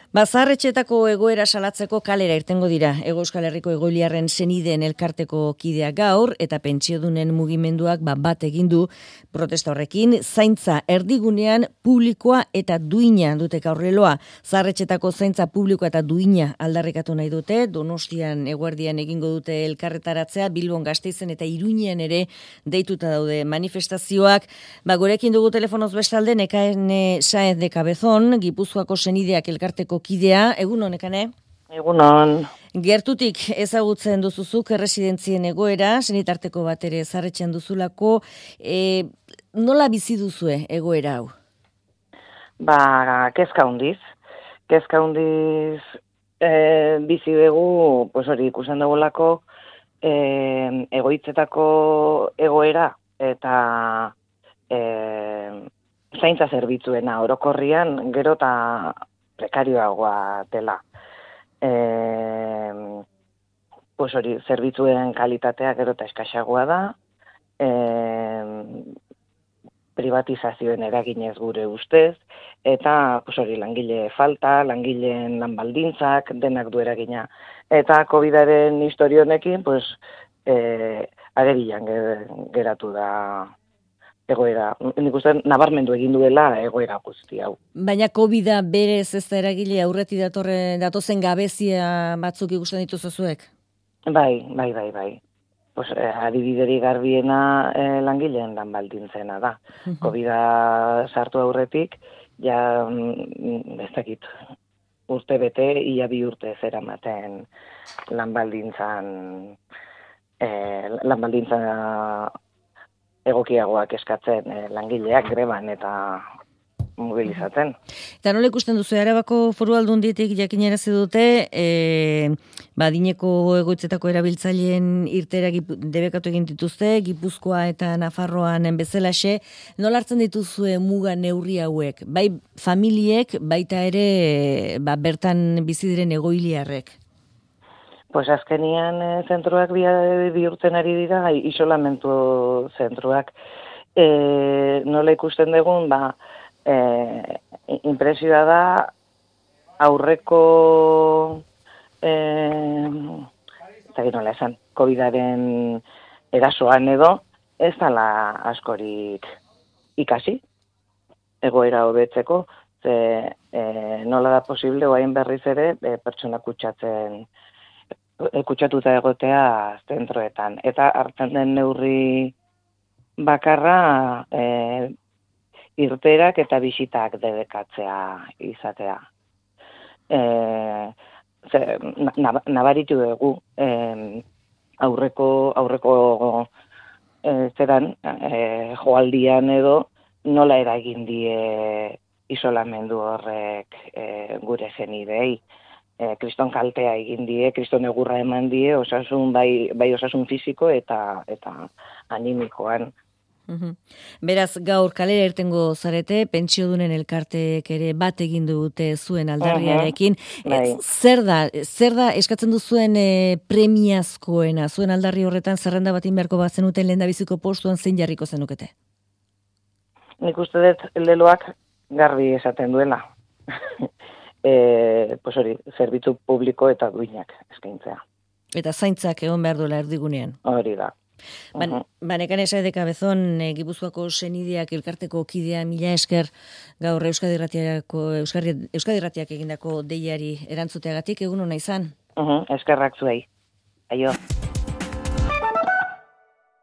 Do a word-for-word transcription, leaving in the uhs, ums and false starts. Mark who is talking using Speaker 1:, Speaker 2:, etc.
Speaker 1: Bazarretxetako egoera salatzeko kalera irtengo dira. Hego Euskal Herriko egoiliarren senideen elkarteko kidea gaur eta pentsiodunen mugimenduak ba, bat egin du protesta horrekin. Zaintza erdigunean publikoa eta duina dute gaurreloa. Zaharretxetako zaintza publikoa eta duina aldarrikatu nahi dute. Donostian eguerdian egingo dute elkarretaratzea, Bilbon, Gasteizen eta Iruñean ere deituta daude manifestazioak. Ba, gurekin dugu telefonoz bestalde Nekane Saez de Cabezon, Gipuzkoako senideak elkarteko kidea, egun honekane?
Speaker 2: Egunon.
Speaker 1: Gertutik ezagutzen duzuzuk erresidentzien egoera, senitarteko bat ere zarretxean duzulako, e, nola bizi duzue egoera hau?
Speaker 2: Ba, kezka hundiz. Kezka hundiz e, bizi dugu, pues hori ikusten dugulako, e, egoitzetako egoera eta e, zaintza zerbitzuena orokorrian gero eta prekarioagoa dela. E, pues hori, zerbitzuen kalitatea gero eta eskaxagoa da, e, privatizazioen eraginez gure ustez, eta pues hori, langile falta, langileen lanbaldintzak, denak du eragina. Eta COVIDaren historionekin, pues, e, agerian geratu da egoera, nik uste nabarmendu egin duela egoera guzti hau.
Speaker 1: Baina COVIDa berez ez da eragile aurreti datorre, datozen gabezia batzuk ikusten dituzu zuek?
Speaker 2: Bai, bai, bai, bai. Pues, eh, adibideri garbiena eh, langileen lan baldintzena da. COVIDa sartu aurretik, ja, mm, ez dakit, urte bete, ia bi urte zeramaten lan baldintzan, eh, lan baldintza egokiagoak eskatzen eh, langileak greban eta mobilizatzen.
Speaker 1: Eta nola ikusten duzu, Arabako Foru Aldunditik jakinarazi dute, e, badineko egoitzetako erabiltzaileen irtera debekatu egin dituzte, Gipuzkoa eta Nafarroan bezalaxe, nola hartzen dituzue muga neurri hauek? Bai familiek, baita ere ba, bertan bizi diren egoiliarrek?
Speaker 2: Pues azkenian e, zentruak bihurtzen ari dira, isolamentu zentruak. E, nola ikusten dugun, ba, e, impresioa da aurreko e, eta nola esan, COVIDaren erasoan edo, ez dala askorik ikasi, egoera hobetzeko, ze e, nola da posible, oain berriz ere, e, pertsona kutsatzen kutsatuta egotea zentroetan. Eta hartzen den neurri bakarra e, irterak eta bisitak debekatzea izatea. E, ze, nabaritu dugu e, aurreko, aurreko e, zeran e, joaldian edo nola eragin die isolamendu horrek e, gure zenidei. E, kriston kaltea egin die, kriston egurra eman die, osasun bai, bai osasun fisiko eta eta animikoan.
Speaker 1: Uhum. Beraz, gaur kalera irtengo zarete, pentsiodunen elkarteek ere bat egin dute zuen aldarriarekin.
Speaker 2: Uhum. Bai.
Speaker 1: E, zer da, zer da eskatzen duzuen e, premiazkoena, zuen aldarri horretan zerrenda batin beharko bat zenuten lehendabiziko postuan zein jarriko zenukete?
Speaker 2: Nik uste dut leloak garbi esaten duela. E, pues hori, zerbitzu publiko eta duinak eskaintzea.
Speaker 1: Eta zaintzak egon behar duela erdigunean.
Speaker 2: Hori da.
Speaker 1: Ban, Nekane Saez de Cabezon, e, Gipuzkoako senideak elkarteko kidea mila esker gaur Euskadi Irratiako Euskadi, Euskadi Irratiak egindako deiari erantzuteagatik, egun ona izan.
Speaker 2: Uh-huh, eskerrak zuei. Aio.